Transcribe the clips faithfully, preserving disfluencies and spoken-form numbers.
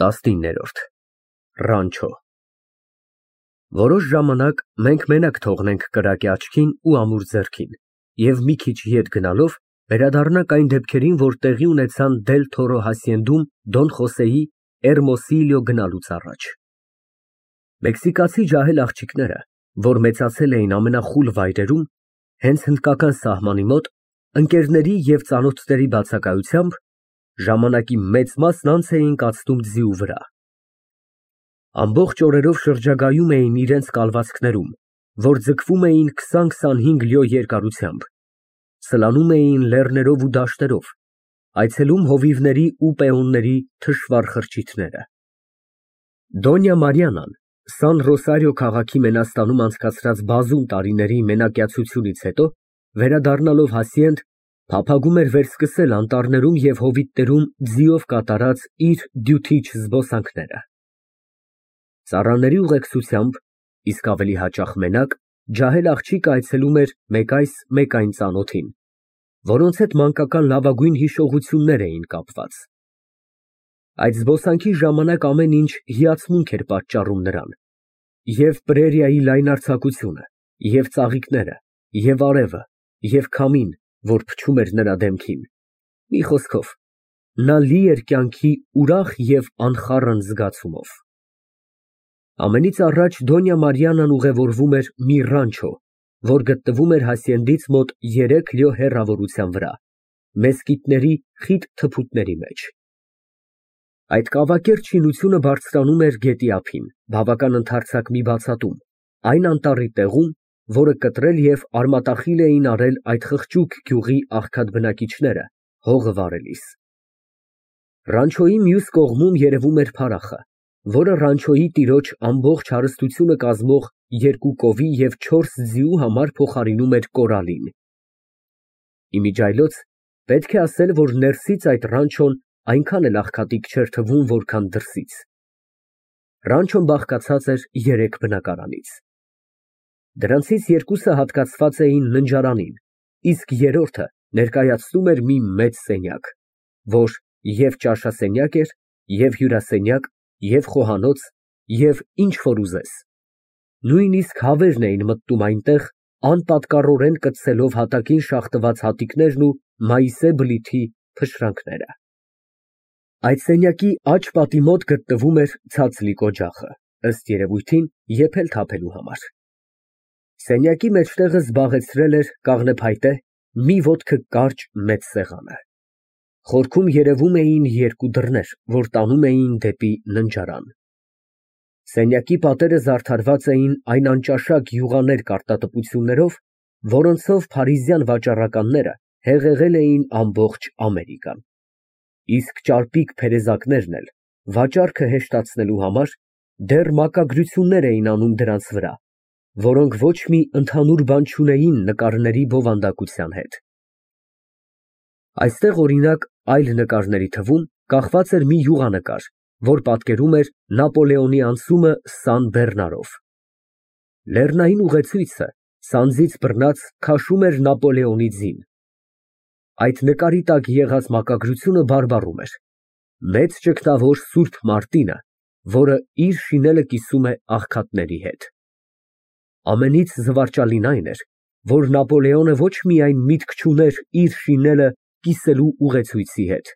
տասնիններորդ ՌԱՆՉՈ Որոշ ժամանակ մենք մենակ թողնենք կրակի աչքին ու ամուր ձեռքին և մի քիչ ետ գնալով վերադառնանք այն դեպքերին, որ տեղի ունեցան Դել Թորո հասցենդում Դոն Խոսեի Էրմոսիլիո գնալուց առաջ։ Մեքսիկացի ջահել աղջիկները, որ մեծացել էին ամենախուլ վայրերում, հենց հնդկական սահմանի մոտ, ընկերների և ծանոթների բացակայությամբ, ժամանակի մեծ մասն անց էին կացնում ձիու վրա։ Ամբողջ օրերով շրջագայում էին իրենց կալվածքներում, որ ձգվում էին քսան֊քսանհինգ լյո երկարությամբ, սլանում էին լեռներով ու դաշտերով, այցելում հովիվների ու պեոնների թշվառ խրճիթները։ Դոնյա Մարիանան Սան Ռոսարիո քաղաքի Մենաստանում անցկացրած բազում տարիների մենակյացությունից հետո, վերադառնալով հասցենդ, փափագում էր վերսկսել անտառներում և հովիտներում ձիով կատարած իր դյութիչ զբոսանքները։ Ծառաների ուղեկցությամբ, իսկ ավելի հաճախ մենակ, ջահել աղջիկը այցելում էր մեկ այս, մեկ այն ծանոթին, որոնց հետ մանկական լավագույն հիշողություններ էին կապված։ Այդ զբոսանքի ժամանակ ամեն ինչ հիացմունք էր պատճառում նրան, և պրերիայի լայնարձակությունը, և ծաղիկները, և արևը, և քամին, որ փչում էր նրա դեմքին, մի խոսքով, նա լի էր կյանքի ուրախ և անխառն զգացումով։ Ամենից առաջ Դոնյա Մարիանան ուղևորվում էր մի ռանչո, որ գտնվում էր հասցենդից մոտ երեք լյո հեռավորության վրա, մեսկիթների խիտ թփուտների մեջ։ Այդ կավակերտ շինությունը բարձրանում էր գետի ափին, բավական ընդարձակ մի բացատում, այն անտառի տեղում, որը կտրել և արմատախիլ էին արել այդ խղճուկ գյուղի աղքատ բնակիչները հողը վարելիս։ Ռանչոյի մյուս կողմում երևում էր փարախը, որը ռանչոյի տիրոջ ամբողջ հարստությունը կազմող երկու կովի և չորս ձիու համար փոխարինում էր կորալին։ Իմիջիայլոց պետք է ասել, որ ներսից այդ ռանչոն այնքան էլ աղքատիկ չէր թվում, որքան դրսից։ Ռանչոն բաղկացած էր երեք բնակարանից։ Դրանցից երկուսը հատկացված էին ննջարանին, իսկ երրորդը ներկայացնում էր մի մեծ սենյակ, որ և ճաշասենյակ էր, և հյուրասենյակ, և խոհանոց, և ինչ որ ուզես։ Նույնիսկ հավերն էին մտնում այնտեղ, անպատկառորեն կծցելով հատակին շաղտված հատիկներն ու մայիսե բլիթի փշրանքները։ Այդ սենյակի աջ պատի մոտ գտնվում էր ցածլիկ օջախը, ըստ երևույթին, եփել֊թափելու համար։ Սենյակի մեջտեղը զբաղեցրել էր կաղնեփայտե, մի ոտքը կարճ մեծ սեղանը։ Խորքում երևում էին երկու դռներ, որ տանում էին դեպի ննջարան։ Սենյակի պատերը զարդարված էին այն անճաշակ յուղաներ կարտատպություններով, որոնցով փարիզյան վաճառականները հեղեղել էին ամբողջ Ամերիկան, իսկ ճարպիկ փերեզակներն էլ, վաճառքը հեշտացնելու համար, դեռ մակագրություններ էին անում դրանց վրա, որոնք ոչ մի ընդհանուր բան չունեին նկարների բովանդակության հետ։ Այստեղ, օրինակ, այլ նկարների թվում կախված էր մի յուղանկար, որ պատկերում էր Նապոլեոնի անցումը Սան Բեռնարով։ Լեռնային ուղեցույցը սանձից բռնած քաշում էր Նապոլեոնի ձին։ Այդ նկարի տակ եղած մակագրությունը բարբառում էր. «Մեծ ճգնավոր Սուրբ Մարտինը, որը իր շինելը կիսում է աղքատների հետ»։ Ամենից զվարճալին այն էր, որ Նապոլեոնը ոչ միայն միտք չուներ իր շինելը կիսելու ուղեցույցի հետ,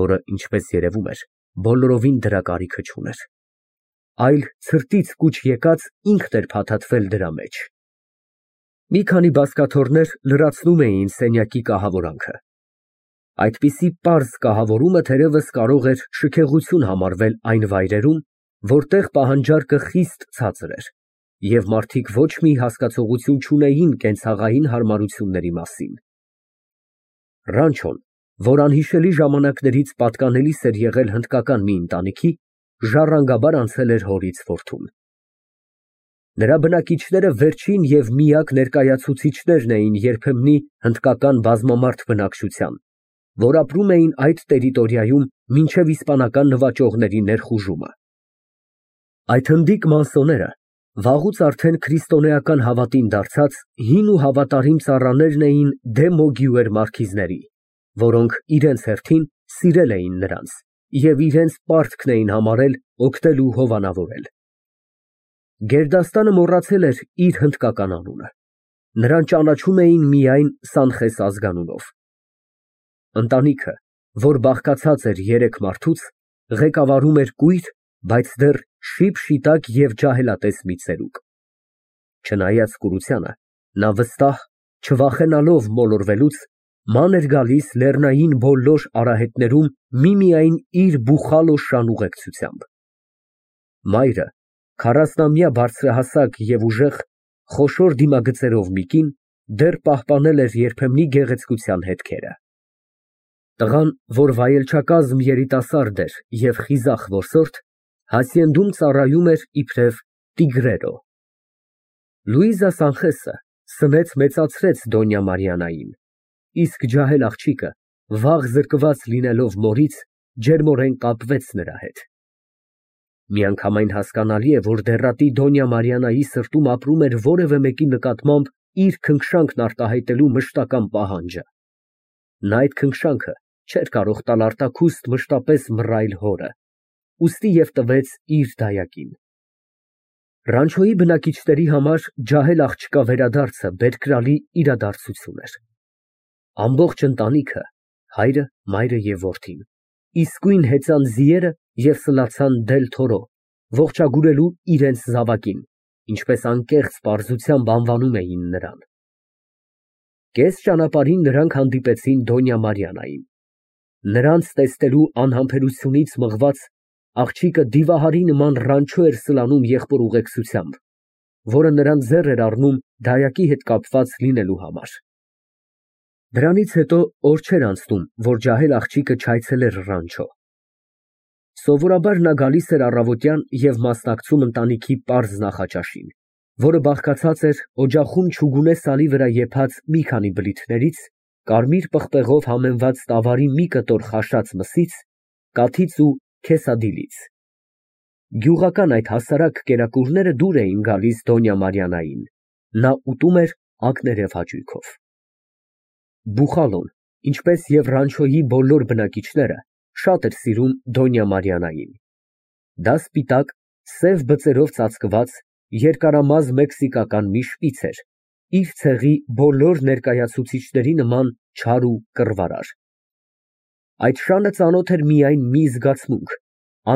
որը, ինչպես երևում էր, բոլորովին դրա կարիքը չուներ, այլ ցրտից կուչ եկած ինքն էր փաթաթվել դրա մեջ։ Մի քանի բազկաթոռներ լրացնում էին սենյակի կահավորանքը։ Այդպիսի պարզ կահավորումը թերևս կարող էր շքեղություն համարվել այն վայրերում, որտեղ պահանջարկը խիստ ցածր էր, և մարդիկ ոչ մի հասկացողություն չունեին կենցաղային հարմարությունների մասին։ Ռանչոն, որ անհիշելի ժամանակներից պատկանելիս էր եղել հնդկական մի ընտանիքի, ժառանգաբար անցել էր հորից որդուն։ Նրա բնակիչները վերջին և միակ ներկայացուցիչներն էին երբեմնի հնդկական բազմամարդ բնակչության, որ ապրում էին այդ տերիտորիայում մինչև իսպանական նվաճողների ներխուժումը։ Այդ հնդիկ մանսոները վաղուց արդեն քրիստոնեական հավատին դարձած հին ու հավատարիմ ծառաներն էին դե Մոգիուեր մարքիզների, որոնք իրենց հերթին սիրել էին նրանց և իրենց պարտքն էին համարել օգնել ու հովանավորել։ Գերդաստանը մոռացել էր իր հնդկական անունը, նրան ճանաչում էին միայն Սանխես ազգանունով։ Ընտանիքը, որ բաղկացած էր երեք մարդուց, ղեկավարում էր կույր, բայց դեռ շիպշիտակ և ջահելատես մի ծերուկ։ Չնայած կուրությանը, նա վստահ, չվախենալով մոլորվելուց, ման էր գալիս լեռնային բոլոր արահետներում միմիայն իր Բուխալո-շան ուղեկցությամբ։ Մայրը, քառասնամյա բարձրահասակ և ուժեղ, խոշոր դիմագծերով մի կին, դեռ պահպանել էր երբեմնի գեղեցկության հետքերը։ Տղան, որ վայելչակազմ երիտասարդ էր և խիզախ որսորդ, հասցենդում ծառայում էր իբրև տիգրերո։ Լուիզա Սանխեսը սնեց֊մեծացրեց Դոնյա Մարիաննային, իսկ ջահել աղջիկը, վաղ զրկված լինելով մորից, ջերմորեն կապվեց նրա հետ։ Միանգամայն հասկանալի է, որ դեռատի Դոնյա Մարիաննայի սրտում ապրում էր որևէ մեկի նկատմամբ իր քնքշանքն արտահայտելու մշտական պահանջը։ Նա այդ քնքշանքը չէր կարող տալ արտաքուստ մշտապես մռայլ հորը, ուստի և տվեց իր դայակին։ Ռանչոյի բնակիչների համար ջահել աղջկա վերադարձը բերկրալի իրադարձություն էր։ Ամբողջ ընտանիքը, հայրը, մայրը և որդին, իսկույն հեծան ձիերը և սլացան Դել֊Թորո, ողջագուրելու իրենց զավակին, ինչպես անկեղծ պարզությամբ անվանում էին նրան։ Կես ճանապարհին նրանք հանդիպեցին Դոնյա Մարիաննային։ Նրանց տեսնելու անհամբերությունից մղված, աղջիկը դիվահարի նման ռանչո էր սլանում եղբոր ուղեկցությամբ, որը նրան ձեռ էր առնում դայակի հետ կապված լինելու համար։ Դրանից հետո օր չէր անցնում, որ ջահել աղջիկը չայցելեր Ռանչո։ Սովորաբար նա գալիս էր առավոտյան և մասնակցում ընտանիքի պարզ նախաճաշին, որը բաղկացած էր օջախում չուգունե սալի վրա եփած մի քանի բլիթներից, կարմիր պղպեղով համեմված տավարի մի կտոր խաշած մսից, կաթից ու քեսադիլից։ Գյուղական այդ հասարակ կերակուրները դուր էին գալիս Դոնյա Մարիաննային, նա ուտում էր ակներև հաճույքով։ Բուխալոն, ինչպես և Ռանչոյի բոլոր բնակիչները, շատ էր սիրում Դոնյա Մարիաննային։ Դա սպիտակ, սև բծերով ծածկված, երկարամազ մեքսիկական մի շպից էր, իր ցեղի բոլոր ներկայացուցիչների նման չար ու կռվարար։ Այդ շանը ծանոթ էր միայն մի զգացմունք,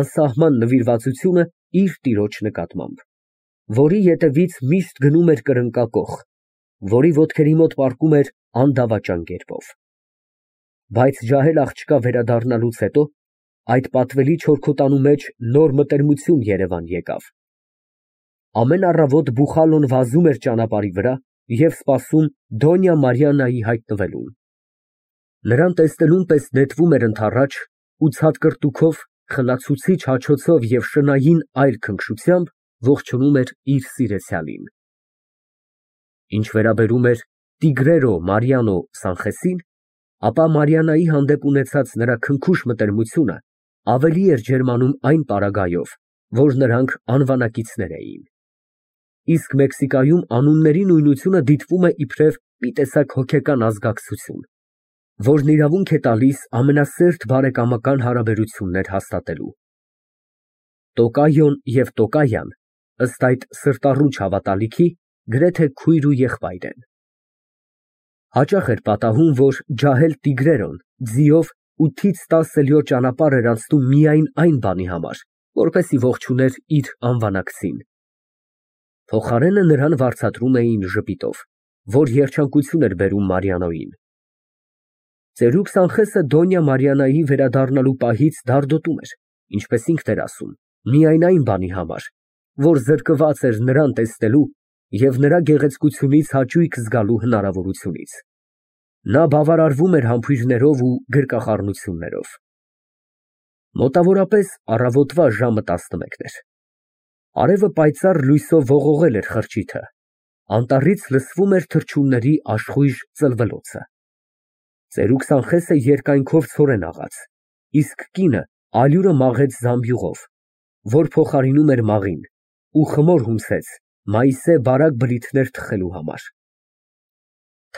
անսահման նվիրվածությունը իր տիրոջ նկատմամբ, որի ետևից միշտ գնում էր կրնկակոխ, որի ոտքերի մոտ պառկում էր անդավաճան կերպով։ Բայց ջահել աղջկա վերադառնալուց հետո այդ պատվելի չորքոտանու մեջ նոր մտերմություն երևան եկավ։ Ամեն առավոտ Բուխալոն վազում էր ճանապարհի վրա և սպասում Դոնյա Մարիաննայի հայտնվելուն։ Նրան տեսնելուն պես նետվում էր ընդառաջ ու ցատկրտուքով, խլացուցիչ հաչոցով և շնային այր քնքշությամբ ողջունում էր իր սիրեցյալին։ Ինչ վերաբերում էր տիգրերո Մարիանո Սանխեսին, ապա Մարիաննայի հանդեպ ունեցած նրա քնքուշ մտերմությունը ավելի էր ջերմանում այն պարագայով, որ նրանք անվանակիցներ էին։ Իսկ Մեքսիկայում անունների նույնությունը դիտվում է իբրև մի տեսակ հոգեկան ազգակցություն, որն իրավունք է տալիս ամենասերտ բարեկամական հարաբերություններ հաստատելու։ Տոկայոն և Տոկայան, ըստ այդ սրտառուչ հավատալիքի, գրեթե քույր ու եղբայր են։ Հաճախ էր պատահում, որ ջահել տիգրերոն ձիով ութից տասը լյո ճանապարհ էր անցնում միայն այն բանի համար, որպեսզի ողջուներ իր անվանակցին։ Փոխարենը նրան վարձատրում էին ժպիտով, որ երջանկություն էր բերում Մարիաննոյին։ Ծերուկ Սանխեսը Դոնյա Մարիաննայի վերադառնալու պահից դարդոտում էր, ինչպես ինքն էր ասում, միայն այն բանի համար, որ զրկված էր նրան տեսնելու և նրա գեղեցկությունից հաճույք զգալու հնարավորությունից։ Նա բավարարվում էր համբույրներով ու գրկախառնություններով։ Մոտավորապես առավոտվա ժամը տասնմեկն էր։ Արևը պայծառ լույսով ողողել էր խրճիթը, անտառից լսվում էր թռչունների աշխույժ ծլվելոցը։ Ծերուկ Սանխեսը երկայնքով ցորեն աղաց, իսկ կինը ալյուրը մաղեց զամբյուղով, որ փոխարինում էր մաղին, ու խմոր հումսեց մայիսե բարակ բլիթներ թխելու համար։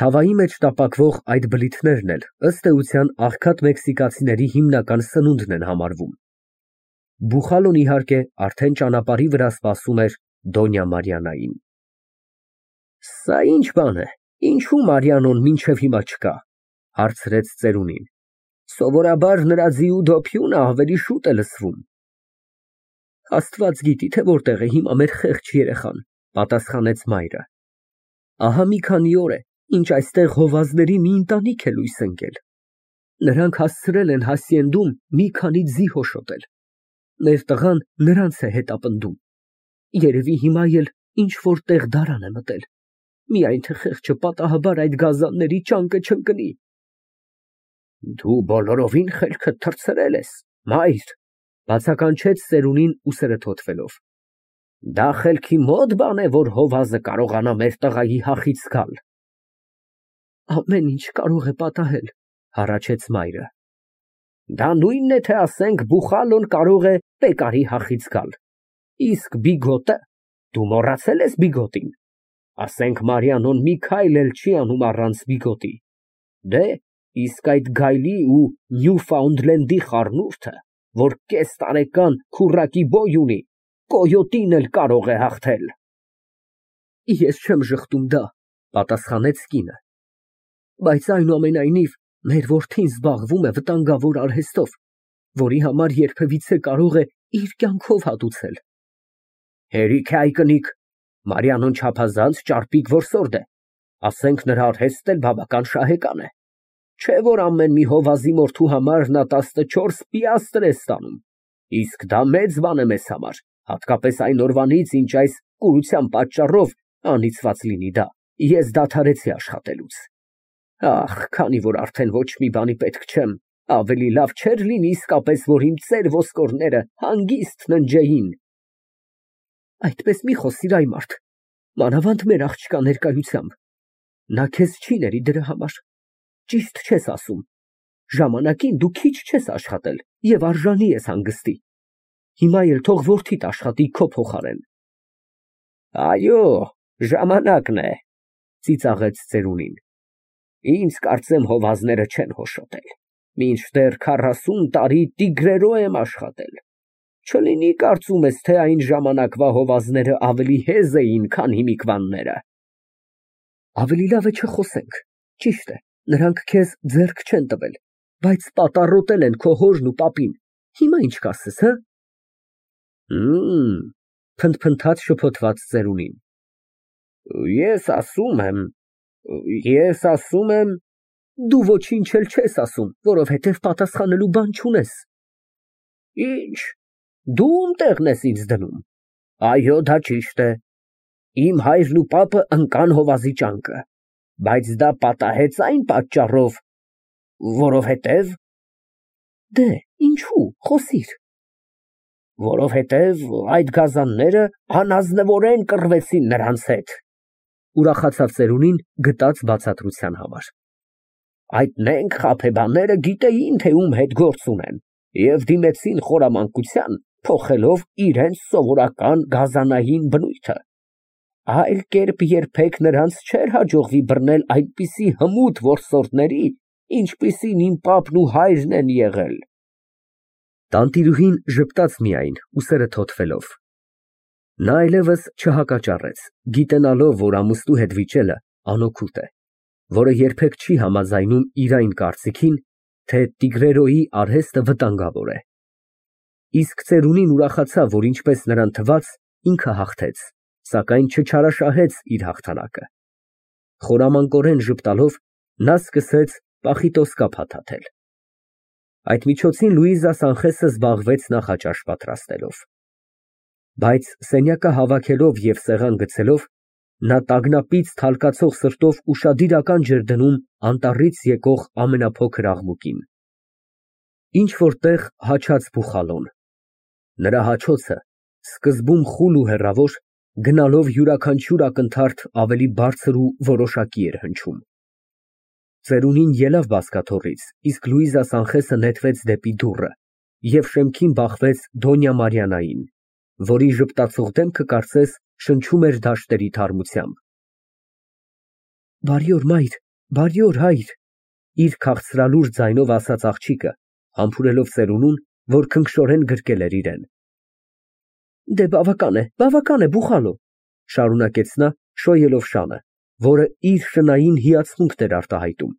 Թավայի մեջ տապակվող այդ բլիթներն էլ ըստ էության աղքատ մեքսիկացիների հիմնական սնունդն են համարվում։ Բուխալոն, իհարկե, արդեն ճանապարհի վրա սպասում էր Դոնյա Մարիաննային։ Սա ի՞նչ բան է, ինչու Մարիանոն մինչև հիմա չկա, հարցրեց ծերունին։ Սովորաբար նրա ձիու դոփյունը ավելի շուտ է լսվում։ Աստված գիտի, թե որտեղ է հիմա մեր խեղճ երեխան, պատասխանեց մայրը։ Ահա մի քանի օր է, ինչ այստեղ հովազների մի ընտանիք է լույս ընկել։ Նրանք հասցրել են հասիենդում մի քանի ձի հոշոտել։ Մեր տղան նրանց է հետապնդում։ Երևի հիմա էլ ինչ որտեղ դարան է մտել։ Միայն թե խեղճը պատահաբար այդ գազանների ճանկը չընկնի։ Դու բոլորովին խելքդ թռցրել ես, մայր, բացականչեց ծերունին ուսերը թոթվելով։ Դա խելքի մոտ բան է, որ հովազը կարողանա մեր տղայի հախից գալ։ Ամեն ինչ կարող է պատահել, հառաչեց մայրը։ Դա նույնն է, թե ասենք Բուխալոն կարող է Պեկարի հախից գալ։ Իսկ Բիգոտը, դու մոռացել ես Բիգոտին։ Ասենք Մարիանոն մի քայլ էլ չի անում առանց Բիգոտի։ Դե, իսկ այդ գայլի ու Նյուֆաունդլենդի խառնուրդը, որ կես տարեկան քուռակի բոյ ունի, կոյոտին էլ կարող է հաղթել։ Ես չեմ ժխտում դա, պատասխանեց կինը։ Բայց այնուամենայնիվ մեր որդին զբաղվում է վտանգավոր արհեստով, որի համար երբևիցե կարող է իր կյանքով հատուցել։ Հերիք է այ կնիկ, Մարիանոն չափազանց ճարպիկ որսորդ է, ասենք նրա արհեստն էլ բավական շահեկան է։ Չէ որ ամեն մի հովազի մորթու համար նա տասնչորս պիաստրը է ստանում, իսկ դա մեծ բան է մեզ համար, հատկապես այն օրվանից, ինչ այս կուրության պատճառով, անիծված լինի դա, ես դադարեցի աշխատելուց։ Ախ, քանի որ արդեն ոչ մի բանի պետք չեմ, ավելի լավ չէր լինի իսկապես, որ իմ ծեր ոսկորները հանգիստ ննջեին։ Այդպես մի խոսիր, այ մարդ, մանավանդ մեր աղջկա ներկայությամբ։ Նա քեզ չի ների դրա համար։ Ճիշտ չես ասում։ Ժամանակին դու քիչ չես աշխատել եւ արժանի ես հանգստի։ Հիմա էլ թող որդիդ աշխատի քո փոխարեն։ Այո, ժամանակն է, ծիծաղեց ծերունին։ Ինձ կարծեմ հովազները չեն հոշոտել, մինչդեռ քառասուն տարի տիգրերո եմ աշխատել։ Չլինի կարծում ես, թե այն ժամանակվա հովազները ավելի հեզ էին, քան հիմիկվանները։ Ավելի լավ է չխոսենք, ճիշտ է, նրանք քեզ ձեռք չեն տվել, բայց պատառոտել են քո հորն ու պապին, հիմա ինչ կասես, հը։ Հմ, փնթփնթաց շփոթված ծերունին։ Ես ասում եմ, ես ասում եմ, դու ոչինչ էլ չես ասում, որովհետև պատասխանելու բան չունես։ Ինչ, դու ում տեղն ես ինձ դնում։ Այո, դա ճիշտ է։ Իմ հայրն ու պապը ընկան հովազի ճանկը, բայց դա պատահեց այն պատճառով, որովհետև… Դե, ինչու, խոսիր։ Որովհետև այդ գազանները անազնվորեն կռվեցին նրանց հետ, ուրախացավ ծերունին գտած բացատրության համար։ Այդ նենք խաբեբաները գիտեին, թե ում հետ գործ ունեն, և դիմեցին խորամանկության, փոխելով իրենց սովորական գազանային բնույթը։ Այլ կերպ երբեք նրանց չէր հաջողվի բռնել այդպիսի հմուտ որսորդների, ինչպիսին իմ պապն ու հայրն են եղել։ Տանտիրուհին ժպտաց միայն, ուսերը թոթվելով։ Նա այլևս չհակաճառեց, գիտենալով, որ ամուսնու հետ վիճելը անօգուտ է, որը երբեք չի համաձայնում իր այն կարծիքին, թե տիգրերոյի արհեստը վտանգավոր է։ Իսկ ծերունին ուրախացավ, որ ինչպես նրան թվաց, ինքը հաղթեց, սակայն չչարաշահեց իր հաղթանակը։ Խորամանկորեն ժպտալով նա սկսեց պախիտոսկա փաթաթել։ Այդ միջոցին Լուիզա Սանխեսը զբաղվեց նախաճաշ պատրաստելով։ Բայց սենյակը հավաքելով և սեղան գցելով, նա տագնապից թալկացող սրտով ուշադիր ականջ էր դնում անտառից եկող ամենափոքր աղմուկին։ Ինչ֊որ տեղ հաչաց Բուխալոն։ Նրա հաչոցը, սկզբում խուլ ու հեռավոր, գնալով յուրաքանչյուր ակնթարթ ավելի բարձր ու որոշակի էր հնչում։ Ծերունին ելավ բազկաթոռից, իսկ Լուիզա Սանխեսը նետվեց դեպի դուռը և շեմքին բախվեց Դոնյա Մարիաննային, որի ժպտացող դեմքը կարծես շնչում էր դաշտերի թարմությամբ։ Բարի օր, մայր, բարի օր, հայր, իր քաղցրալուր ձայնով ասաց աղջիկը, համբուրելով ծերունուն, որ քնքշորեն գրկել էր իրեն։ Դե բավական է, բավական է, Բուխալո, շարունակեց նա, շոյելով շանը, որը իր շնային հիացմունքն էր արտահայտում։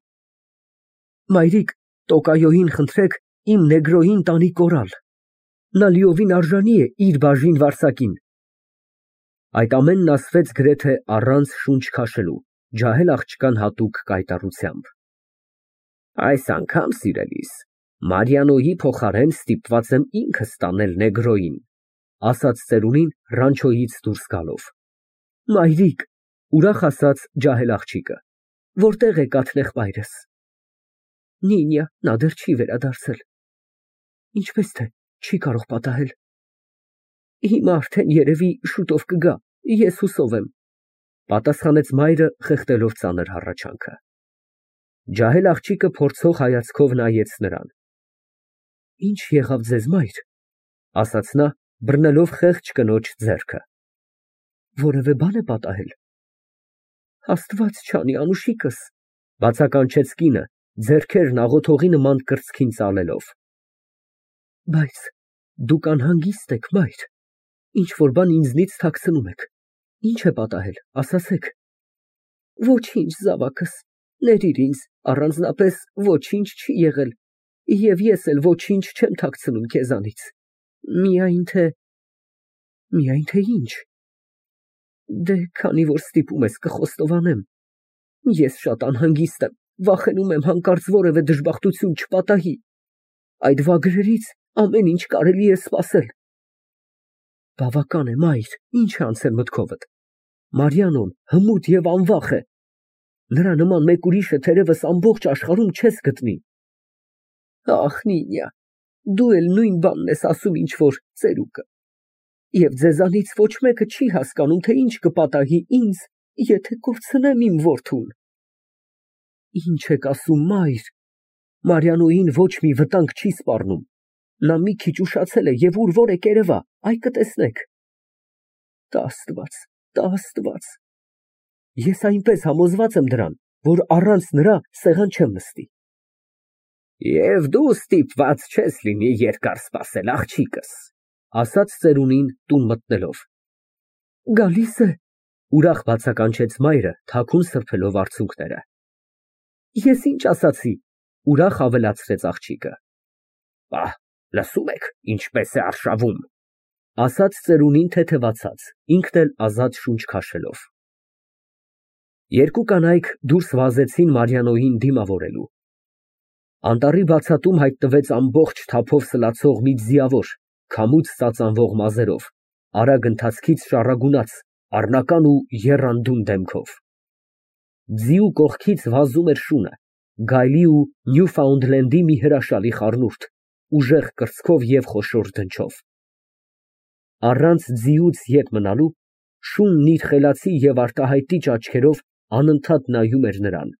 Մայրիկ, Տոկայոյին խնդրեք իմ նեգրոյին տանի կորալ։ Նա լիովին արժանի է իր բաժին վարձակին։ Այդ ամենն ասվեց գրեթե առանց շունչ քաշելու, ջահել աղջկան հատուկ կայտառությամբ։ Այս անգամ, սիրելիս, Մարիանոյի փոխարեն ստիպված եմ ինքս տանել նեգրոյին, ասաց ծերունին ռանչոյից դուրս գալով։ Մայրիկ, ուրախ ասաց ջահել աղջիկը, որտեղ է կաթնեղբայրս։ Նինյա, նա դեռ չի վերադարձել։ Ինչպես թե չի կարող պատահել։ Հիմա արդեն երևի շուտով կգա, ես հուսով եմ, պատասխանեց մայրը խեղդելով ծանր հառաչանքը։ Ջահել աղջիկը փորձող հայացքով նայեց նրան։ Ինչ եղավ ձեզ, մայր, ասաց նա, բռնելով խեղճ կնոջ ձեռքը։ Որևէ բան է պատահել։ Աստված չանի, անուշիկս, բացականչեց կինը, ձեռքերն աղոթողի նման կրծքին ծալելով։ Բայց դուք անհանգիստ եք, մայր, ինչ որ բան ինձնից թաքցնում եք։ Ինչ է պատահել, ասացեք։ Ոչինչ, զավակս, ներիր ինձ, առանձնապես ոչինչ չի եղել, և ես էլ ոչինչ չեմ թաքցնում քեզանից։ Միայն թե… Միայն թե ինչ։ Դե քանի որ ստիպում ես կխոստովանեմ։ Ես շատ անհանգիստ եմ, վախենում եմ հանկարծ որևէ դժբախտություն չպատահի։ Այդ վագրերից ամեն ինչ կարելի է սպասել։ Բավական է, մայր, ինչ է անցել մտքովդ։ Մարիանոն հմուտ և անվախ է։ Նրա նման մեկ ուրիշը թերևս ամբողջ աշխարհում չես գտնի։ Ախ, Նինյա, դու էլ նույն բանն ես ասում, ինչ որ ծերուկը։ Եվ ձեզանից ոչ մեկը չի հասկանում, թե ինչ կպատահի ինձ, եթե կորցնեմ իմ որդուն։ Ինչ եք ասում, մայր։ Մարիանոյին ոչ մի վտանգ չի սպառնում։ Նա մի քիչ ուշացել է և ուր որ է կերևա, այ կտեսնեք։ Տա Աստված, տա Աստված։ Ես այնպես համոզված եմ դրան, որ առանց նրա սեղան չեմ նստի։ Եվ դու ստիպված չես լինի երկար սպասել, աղջիկս, ասաց ծերունին տուն մտնելով։ Գալիս է, ուրախ բացականչեց մայրը, թաքուն սրբելով արցունքները։ Ես ինչ ասացի, ուրախ ավելացրեց աղջիկը։ Ահ, լսում եք, ինչպես է արշավում, ասաց ծերունին թեթևացած, ինքն էլ ազատ շունչ քաշելով։ Երկու կանայք դուրս վազեցին Մարիանոյին դիմավորելու։ Անտառի բացատում հայտնվեց ամբողջ թափով սլացող մի ձիավոր, քամուց ծածանվող մազերով, արագ ընթացքից շառագունած, առնական ու եռանդուն դեմքով։ Ձիու կողքից վազում էր շունը, գայլի ու Նյուֆաունդլենդի մի հրաշալի խառնուրդ, ուժեղ կրծքով և խոշոր դնչով։ Առանց ձիուց ետ մնալու, շունն իր խելացի և արտահայտիչ աչքերով անընդհատ նայում էր նրան։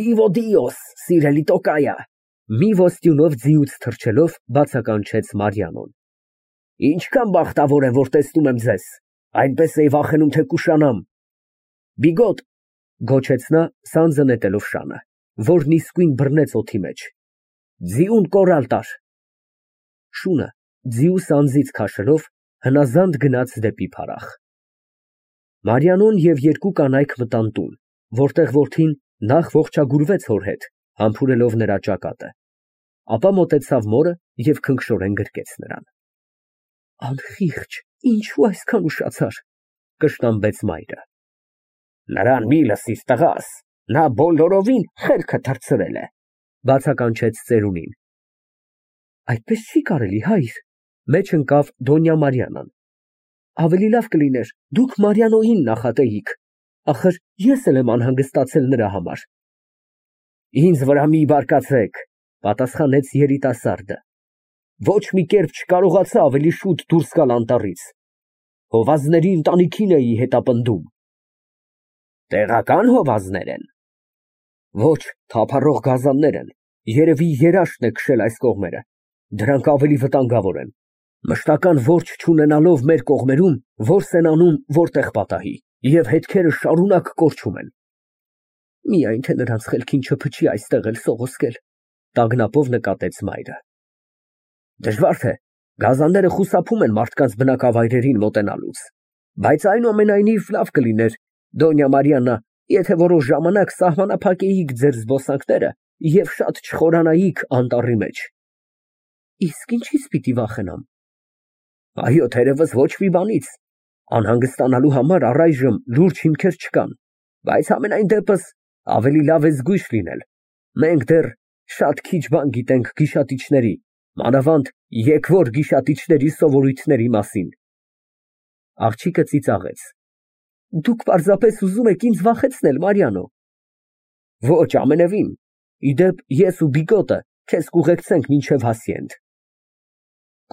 Իվո Դիոս, սիրելի Տոկայա, մի ոստյունով ձիուց թռչելով բացականչեց Մարիանոն։ Ինչքան բախտավոր եմ, որ տեսնում եմ ձեզ, այնպես էի վախենում, թե կուշանամ։ Բիգոտ, գոչեց նա, սանձը նետելով շանը, որն իսկույն բռնեց օդի մեջ։ Ձիուն կորալ տար։ Շունը, ձիու սանձից քաշելով, հնազանդ գնաց դեպի փարախ։ Մարիանոն և երկու կանայք մտան տուն, որտեղ որդին նախ ողջագուրվեց հոր հետ, համբուրելով նրա ճակատը, ապա մոտեցավ մորը և քնքշորեն գրկեց նրան։ Անխիղճ, ինչու այսքան ուշացար, կշտամբեց մայրը։ Նրան մի լսիր, տղաս, նա բոլորովին խելքը թռցրել է, բացականչեց ծերունին։ Այդպես չի կարելի, հայր, մեջ ընկավ Դոնյա Մարիանան։ Ավելի լավ կլիներ, դուք Մարիանոյին նախատեիք, ախր ես էլ եմ անհանգստացել նրա համար։ Ինձ վրա մի բարկացեք, պատասխանեց երիտասարդը։ Ոչ մի կերպ չկարողացա ավելի շուտ դուրս գալ անտառից։ Հովազների ընտանիքին էի հետապնդում։ Տեղական հովազներ են։ Ոչ, թափառող գազաններ են, երևի երաշտն է քշել այս կողմերը, դրանք ավելի վտանգավոր են։ Մշտական որջ չունենալով մեր կողմերում, որս են անում, որտեղ պատահի։ Եվ հետքերը շարունակ կորչում են։ Միայն թե նրանց խելքին չփչի այստեղ էլ սողոսկել, տագնապով նկատեց մայրը։ Դժվար թե, գազանները խուսափում են մարդկանց բնակավայրերին մոտենալուց, բայց այնուամենայնիվ լավ կլիներ, Դոնյա Մարիաննա, եթե որոշ ժամանակ սահմանափակեիք ձեր զբոսանքները և շատ չխորանայիք անտառի մեջ։ Իսկ ինչի՞ց պիտի վախենամ։ Այո, թերևս ոչ մի բանից, անհանգստանալու համար առայժմ լուրջ հիմքեր չկան, բայց համենայն դեպս ավելի լավ է զգույշ լինել, մենք դեռ շատ քիչ բան գիտենք գիշատիչների, մանավանդ եկվոր գիշատիչների սովորույթների մասին։ Աղջիկը ծիծաղեց։ Դուք պարզապես ուզում եք ինձ վախեցնել, Մարիանո։ Ոչ, ամենևին, իդեպ ես ու Բիգոտը քեզ կուղեկցենք մինչև Հասիենդ։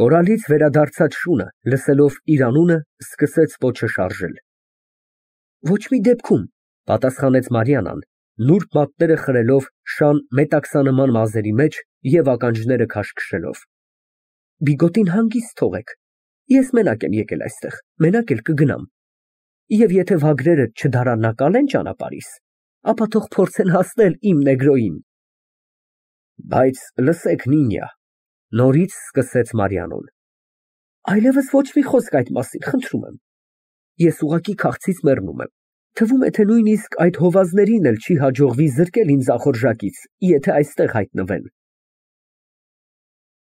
Կորալից վերադարձած շունը, լսելով իր անունը, սկսեց պոչը շարժել։ Ոչ մի դեպքում, պատասխանեց Մարիաննան, նուրբ մատները խրելով շան մետաքսանման մազերի մեջ և ականջները քաշքշելով։ Բիգոտին հանգիստ թողեք, ես մենակ եմ եկել այստեղ, մենակ էլ կգնամ։ Եվ եթե վագրերդ չդարանակալեն ճանապարհիս, ապա թող փորձեն հասնել իմ նեգրոյին։ Բայց լսեք, Նինյա, նորից սկսեց Մարիանոն, այլևս ոչ մի խոսք այդ մասին, խնդրում եմ։ Ես ուղղակի քաղցից մեռնում եմ։ Թվում է, թե նույնիսկ այդ հովազներին էլ չի հաջողվի զրկել ինձ ախորժակից, եթե այստեղ հայտնվեն։